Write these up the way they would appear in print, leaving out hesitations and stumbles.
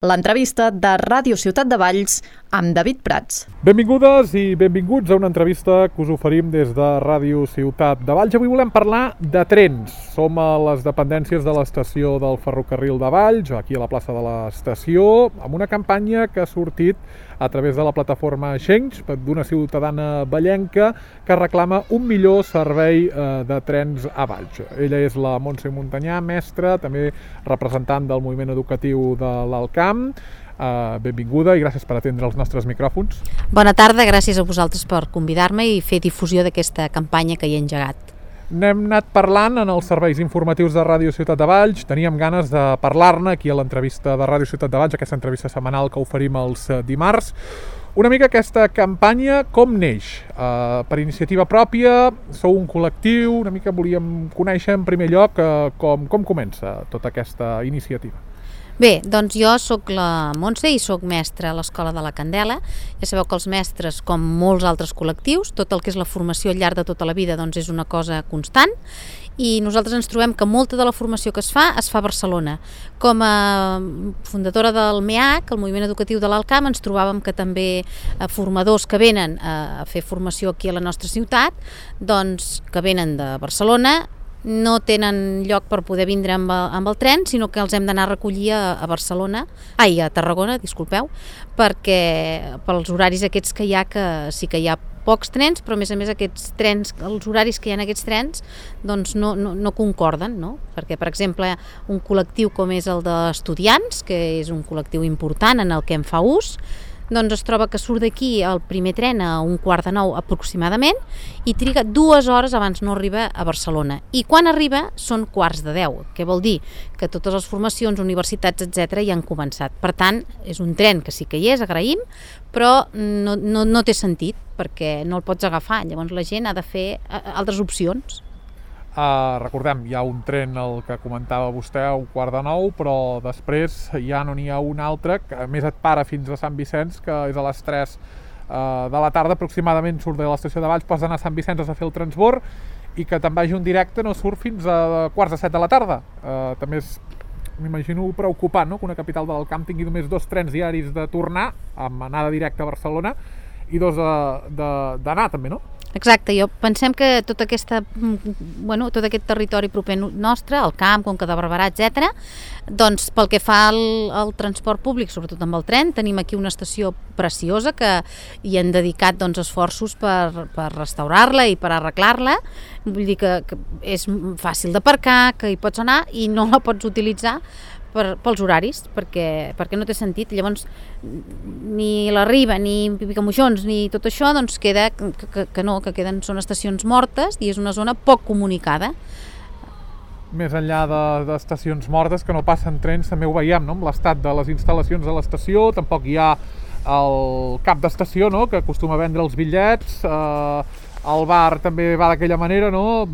L'entrevista de Ràdio Ciutat de Valls amb David Prats. Benvingudes i benvinguts a una entrevista que us oferim des de Ràdio Ciutat de Valls. Avui volem parlar de trens. Som a les dependències de l'estació del ferrocarril de Valls, aquí a la plaça de l'estació, amb una campanya que ha sortit a través de la plataforma Change d'una ciutadana vallenca que reclama un millor servei de trens a Valls. Ella és la Montse Montanyà, mestra, també representant del moviment educatiu de l'Alcamp. Benvinguda i gràcies per atendre els nostres micròfons. Bona tarda, gràcies a vosaltres per convidar-me i fer difusió d'aquesta campanya que hi he engegat. N'hem anat parlant en els serveis informatius de Ràdio Ciutat de Valls. Teníem ganes de parlar-ne aquí a l'entrevista de Ràdio Ciutat de Valls, aquesta entrevista setmanal que oferim els dimarts. Una mica aquesta campanya com neix? Per iniciativa pròpia, sou un col·lectiu, una mica volíem conèixer en primer lloc com comença tota aquesta iniciativa. Bé, doncs jo sóc la Montse i sóc mestra a l'Escola de la Candela. Ja sabeu que els mestres, com molts altres col·lectius, tot el que és la formació al llarg de tota la vida doncs és una cosa constant i nosaltres ens trobem que molta de la formació que es fa a Barcelona. Com a fundadora del MEAC, el Moviment Educatiu de l'Alcamp, ens trobàvem que també formadors que venen a fer formació aquí a la nostra ciutat, doncs que venen de Barcelona, no tenen lloc per poder vindre amb el tren, sinó que els hem d'anar a recollir a Tarragona, perquè pels horaris aquests que hi ha, que sí que hi ha pocs trens, però a més aquests trens, els horaris que hi ha en aquests trens doncs no concorden, no? Perquè, per exemple, un col·lectiu com és el d'estudiants, que és un col·lectiu important en el que en fa ús, doncs es troba que surt d'aquí el primer tren a 8:45 aproximadament i triga 2 hores abans no arriba a Barcelona. I quan arriba són 9:45, que vol dir que totes les formacions, universitats, etc. ja han començat. Per tant, és un tren que sí que hi és, agraïm, però no té sentit perquè no el pots agafar. Llavors la gent ha de fer altres opcions. Recordem, hi ha un tren, el que comentava vostè, a 8:45, però després ja no n'hi ha un altre, que a més et para fins a Sant Vicenç, que és a les 3 de la tarda aproximadament, surt de l'estació de Valls, pots anar a Sant Vicenç a fer el transbord, i que te'n vagi un directe no surt fins a 6:45 de la tarda. També m'imagino preocupant, no?, que una capital de l'Alcamp tingui només 2 trens diaris de tornar, amb anada directa a Barcelona, i 2 d'anar també, no? Exacte, pensem que tot aquest territori proper nostre, el camp, Conca de Barberà, etc., doncs pel que fa al transport públic, sobretot amb el tren, tenim aquí una estació preciosa que hi han dedicat esforços per restaurar-la i per arreglar-la. Vull dir que és fàcil d'aparcar, que hi pots anar i no la pots utilitzar pels horaris, perquè no té sentit. Llavors ni la Riba, ni Picamoixons, ni tot això, doncs queda que són estacions mortes i és una zona poc comunicada. Més enllà d'estacions mortes, que no passen trens, també ho veiem, no?, amb l'estat de les instal·lacions de l'estació. Tampoc hi ha el cap d'estació, no?, que acostuma a vendre els bitllets, el bar també va d'aquella manera, no?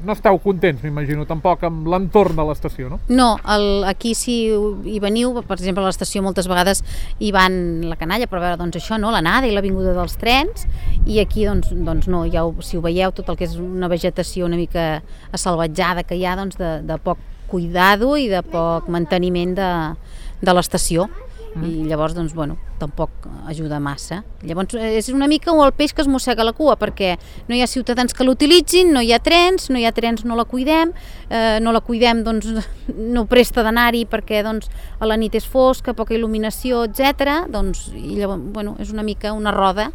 No esteu contents, m'imagino, tampoc amb l'entorn de l'estació, no? No, aquí si hi veniu, per exemple, a l'estació moltes vegades hi van la canalla per veure això, no?, l'anada i la vinguda dels trens, i aquí doncs no, si ho veieu, tot el que és una vegetació una mica assalvatjada que hi ha, de poc cuidado i de poc manteniment de l'estació. I llavors, tampoc ajuda massa. Llavors és una mica el peix que es mossega la cua, perquè no hi ha ciutadans que l'utilitzin, no hi ha trens no la cuidem, no presta d'anar-hi perquè a la nit és fosca, poca il·luminació, etc. I llavors, és una mica una roda.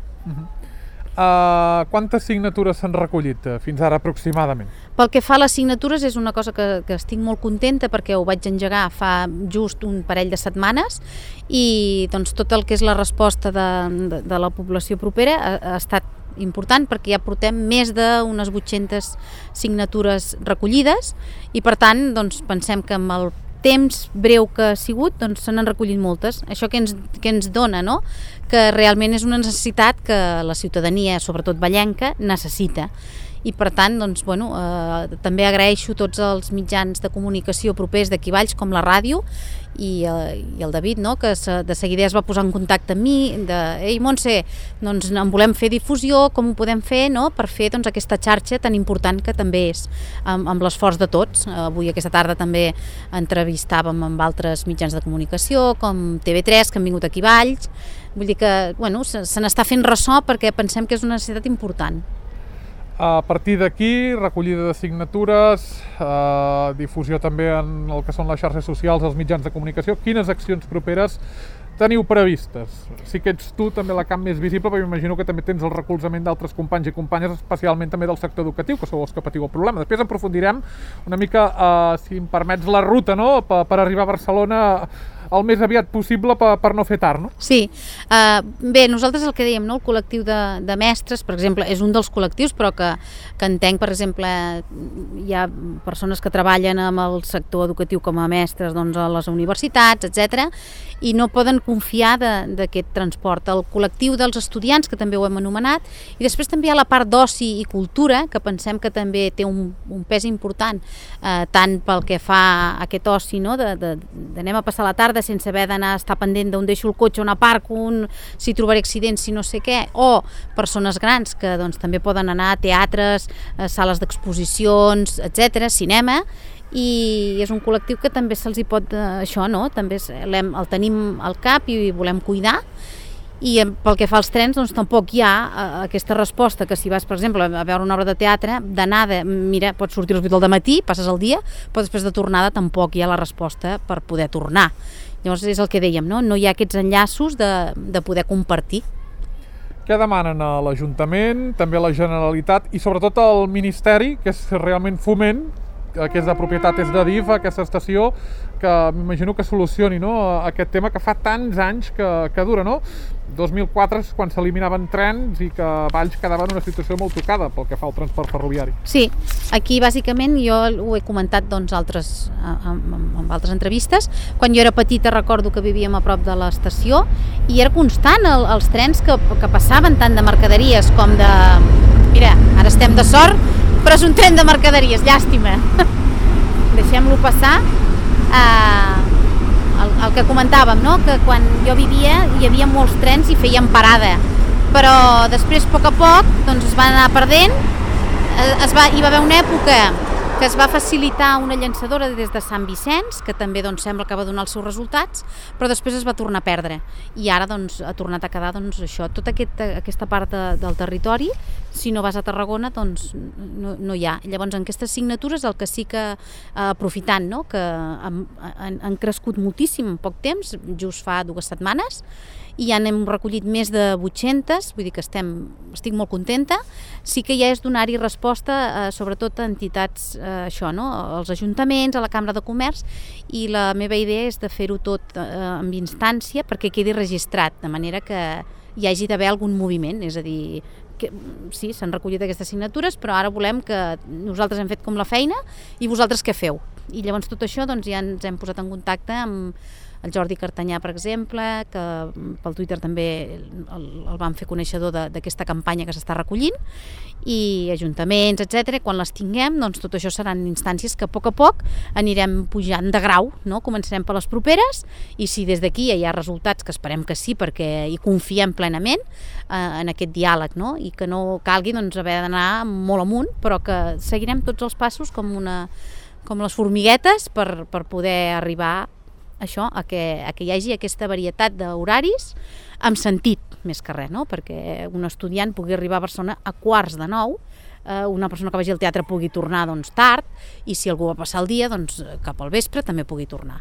Quantes signatures s'han recollit fins ara aproximadament? Pel que fa a les signatures és una cosa que estic molt contenta perquè ho vaig engegar fa just un parell de setmanes i tot el que és la resposta de la població propera ha estat important perquè ja portem més d'unes 800 signatures recollides i per tant pensem que amb el temps breu que ha sigut, se n'han recollit moltes. Això que ens dona, no?, que realment és una necessitat que la ciutadania, sobretot vallenca, necessita. I per tant, també agraeixo tots els mitjans de comunicació propers d'aquí Valls, com la ràdio, i el David, no? Que de seguida es va posar en contacte amb mi, ei Montse, doncs en volem fer difusió, com ho podem fer, no? Per fer doncs, aquesta xarxa tan important que també és amb l'esforç de tots. Avui aquesta tarda també entrevistàvem amb altres mitjans de comunicació, com TV3, que han vingut aquí a Valls. Vull dir que se n'està fent ressò perquè pensem que és una necessitat important. A partir d'aquí, recollida de signatures, difusió també en el que són les xarxes socials, els mitjans de comunicació. Quines accions properes teniu previstes? Sí que ets tu també la camp més visible, però m'imagino que també tens el recolzament d'altres companys i companyes, especialment també del sector educatiu, que sou els que patiu el problema. Després aprofundirem una mica, si em permets, la ruta, no?, per arribar a Barcelona el més aviat possible per no fer tard, no? Sí. Bé, nosaltres el que dèiem, no? El col·lectiu de mestres, per exemple, és un dels col·lectius, però que entenc, per exemple, hi ha persones que treballen amb el sector educatiu com a mestres, doncs, a les universitats, etc., i no poden confiar d'aquest transport. El col·lectiu dels estudiants, que també ho hem anomenat, i després també hi ha la part d'oci i cultura, que pensem que també té un pes important, tant pel que fa a aquest oci, no? D'anem a passar la tarda sense haver d'anar a estar pendent d'on deixo el cotxe, on aparco, si trobaré accidents, si no sé què, o persones grans que doncs, també poden anar a teatres, a sales d'exposicions, etc., cinema, i és un col·lectiu que també se'ls hi pot, això, no? També el tenim al cap i volem cuidar. I pel que fa als trens, doncs tampoc hi ha aquesta resposta que si vas, per exemple, a veure una obra de teatre, d'anada, mira, pots sortir a les 8 del matí, passes el dia, però després de tornada tampoc hi ha la resposta per poder tornar. Llavors és el que dèiem, no? No hi ha aquests enllaços de poder compartir. Què demanen a l'Ajuntament, també a la Generalitat i sobretot al Ministeri, que és realment Foment, que és de propietat, és d'Adif, aquesta estació, que m'imagino que solucioni, no?, aquest tema que fa tants anys que dura, no? 2004 és quan s'eliminaven trens i que Valls quedava en una situació molt tocada pel que fa al transport ferroviari. Sí, aquí bàsicament jo ho he comentat doncs, amb altres entrevistes. Quan jo era petita recordo que vivíem a prop de l'estació i era constant els trens que passaven tant de mercaderies com de... Mira, ara estem de sort, però és un tren de mercaderies, llàstima. Deixem-lo passar. El que comentàvem, no? Que quan jo vivia hi havia molts trens i feien parada, però després a poc doncs, es van anar perdent. Hi va haver una època que es va facilitar una llançadora des de Sant Vicenç, que també doncs, sembla que va donar els seus resultats, però després es va tornar a perdre i ara doncs, ha tornat a quedar doncs, això, tota aquesta part del territori, si no vas a Tarragona doncs no hi ha. Llavors en aquestes signatures el que sí que aprofitant, no? Que han crescut moltíssim en poc temps, just fa 2 setmanes, i ja n'hem recollit més de 800, vull dir que estic molt contenta. Sí que ja és donar-hi resposta sobretot a entitats, això, no? Als ajuntaments, a la Cambra de Comerç, i la meva idea és de fer-ho tot amb instància perquè quedi registrat, de manera que hi hagi d'haver algun moviment, és a dir, que, sí, s'han recollit aquestes signatures, però ara volem que nosaltres hem fet com la feina i vosaltres què feu? I llavors tot això doncs, ja ens hem posat en contacte amb el Jordi Cartanyà, per exemple, que pel Twitter també el vam fer coneixedor d'aquesta campanya que s'està recollint, i ajuntaments, etc. Quan les tinguem, doncs tot això seran instàncies que a poc anirem pujant de grau, no? Començarem per les properes, i si des d'aquí hi ha resultats, que esperem que sí, perquè hi confiem plenament en aquest diàleg, no? I que no calgui doncs, haver d'anar molt amunt, però que seguirem tots els passos com les formiguetes per poder arribar això, a que hi hagi aquesta varietat d'horaris amb sentit, més que res, no? Perquè un estudiant pugui arribar a Barcelona a 8:45, una persona que vagi al teatre pugui tornar doncs, tard, i si algú va passar el dia, doncs, cap al vespre també pugui tornar.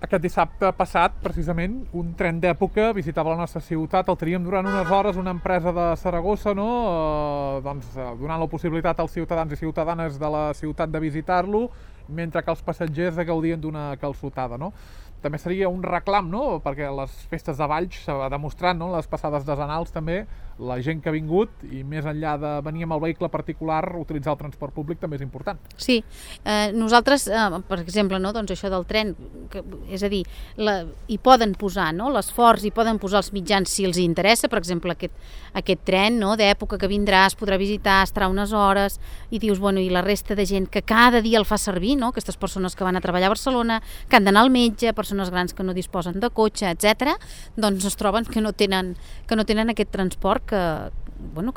Aquest dissabte passat, precisament, un tren d'època visitava la nostra ciutat, el teníem durant unes hores una empresa de Saragossa, no? Donant la possibilitat als ciutadans i ciutadanes de la ciutat de visitar-lo, mentre que els passatgers gaudien d'una calçotada, no? També seria un reclam, no? Perquè les festes de Valls s'ha demostrat, no? Les passades desenals també, la gent que ha vingut i més enllà de venir amb el vehicle particular, utilitzar el transport públic també és important. Sí, nosaltres, per exemple, no? Doncs això del tren, és a dir, hi poden posar, no? L'esforç, hi poden posar els mitjans si els interessa, per exemple, aquest tren, no? D'època que vindrà, es podrà visitar, estarà unes hores, i dius, bueno, i la resta de gent que cada dia el fa servir, no? Aquestes persones que van a treballar a Barcelona, que han d'anar al metge, persones persones grans que no disposen de cotxe, etc., doncs es troben que no tenen aquest transport que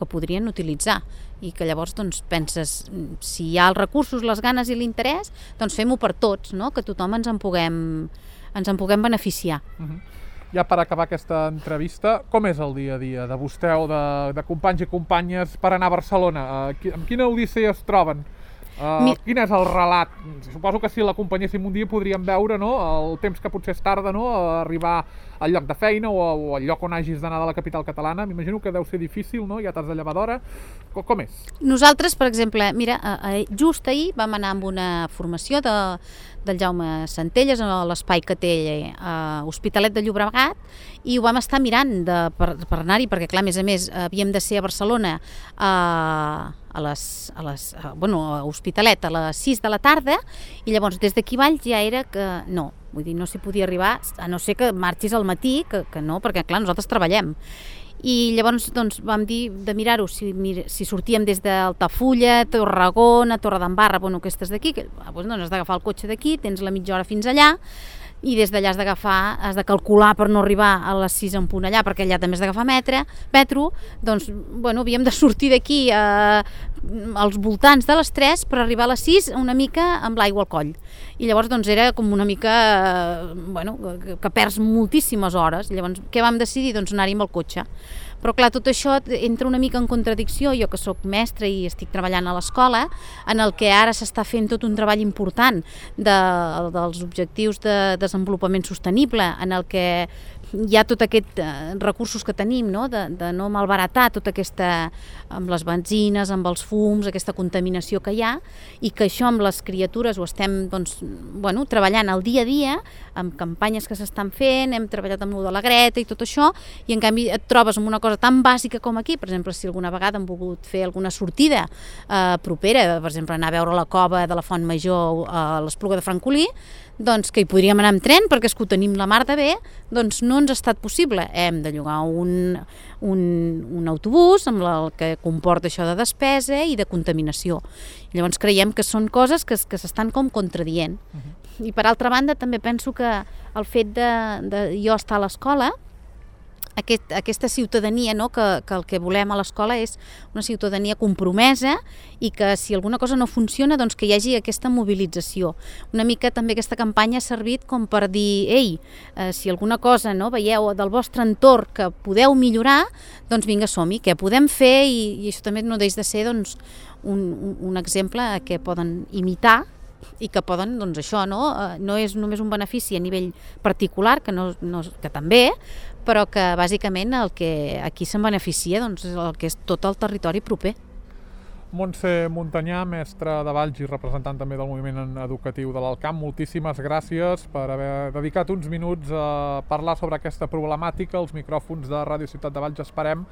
podrien utilitzar, i que llavors doncs, penses, si hi ha els recursos, les ganes i l'interès, doncs fem-ho per tots, no? Que tothom ens en puguem beneficiar. Ja per acabar aquesta entrevista, com és el dia a dia de vostè o de companys i companyes per anar a Barcelona? Amb quina odissea es troben? Quin és el relat? Suposo que si l'acompanyéssim un dia podríem veure, no, el temps que potser es tarda, no, a arribar al lloc de feina o al lloc on hagis d'anar de la capital catalana. M'imagino que deu ser difícil, no? Ja t'has de llevar d'hora. Com és? Nosaltres, per exemple, mira, just ahir vam anar amb una formació del Jaume Centelles a l'espai que té a Hospitalet de Llobregat, i ho vam estar mirant per anar-hi, perquè clar, a més havíem de ser a Barcelona a Hospitalet a les 6 de la tarda, i llavors des d'aquí Valls ja era que no, vull dir, no s'hi podia arribar, a no ser que marxis al matí, que no, perquè clar, nosaltres treballem. I llavors doncs, vam dir de mirar-ho, si sortíem des d'Altafulla, Tarragona, Torredembarra, aquestes d'aquí, doncs has d'agafar el cotxe d'aquí, tens la mitja hora fins allà, i des d'allà has de calcular per no arribar a les 6 en punt allà, perquè allà també has d'agafar metro, doncs havíem de sortir d'aquí als voltants de les 3 per arribar a les 6 una mica amb l'aigua al coll. I llavors doncs era com una mica, que perds moltíssimes hores. Llavors què vam decidir? Doncs anar-hi amb el cotxe. Però clar, tot això entra una mica en contradicció, jo que sóc mestra i estic treballant a l'escola, en el que ara s'està fent tot un treball important dels objectius de desenvolupament sostenible, en el que hi ha tot aquests recursos que tenim, no? De no malbaratar tota aquesta, amb les benzines, amb els fums, aquesta contaminació que hi ha, i que això amb les criatures ho estem treballant al dia a dia, amb campanyes que s'estan fent, hem treballat amb de la Greta i tot això, i en canvi et trobes amb una cosa tan bàsica com aquí. Per exemple, si alguna vegada hem volgut fer alguna sortida propera, per exemple anar a veure la cova de la Font Major a l'Espluga de Francolí, doncs que hi podríem anar amb tren perquè és que ho tenim la mar de bé, doncs no ens ha estat possible. Hem de llogar un autobús amb el que comporta això de despesa i de contaminació. Llavors creiem que són coses que s'estan com contradient. I per altra banda també penso que el fet de jo estar a l'escola, aquesta ciutadania, no, que el que volem a l'escola és una ciutadania compromesa, i que si alguna cosa no funciona, doncs que hi hagi aquesta mobilització. Una mica també aquesta campanya ha servit com per dir, ei, si alguna cosa veieu del vostre entorn que podeu millorar, doncs vinga, som-hi, què podem fer, i això també no deixa de ser doncs, un exemple que poden imitar, i que poden, doncs això, no és només un benefici a nivell particular, que també, però que bàsicament el que aquí se'n beneficia doncs, és el que és tot el territori proper. Montse Montanyà, mestra de Valls i representant també del moviment educatiu de l'Alt Camp, moltíssimes gràcies per haver dedicat uns minuts a parlar sobre aquesta problemàtica. Els micròfons de Ràdio Ciutat de Valls, esperem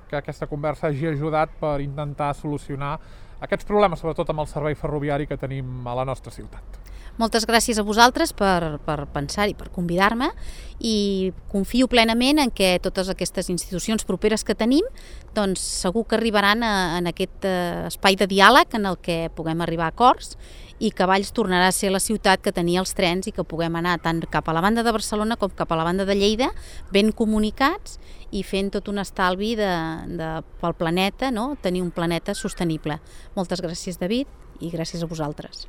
que aquesta conversa hagi ajudat per intentar solucionar aquests problemes, sobretot amb el servei ferroviari que tenim a la nostra ciutat. Moltes gràcies a vosaltres per pensar-hi, per convidar-me, i confio plenament en que totes aquestes institucions properes que tenim doncs segur que arribaran en aquest espai de diàleg en el que puguem arribar a acords, i que Valls tornarà a ser la ciutat que tenia els trens i que puguem anar tant cap a la banda de Barcelona com cap a la banda de Lleida ben comunicats i fent tot un estalvi pel planeta, no? Tenir un planeta sostenible. Moltes gràcies, David, i gràcies a vosaltres.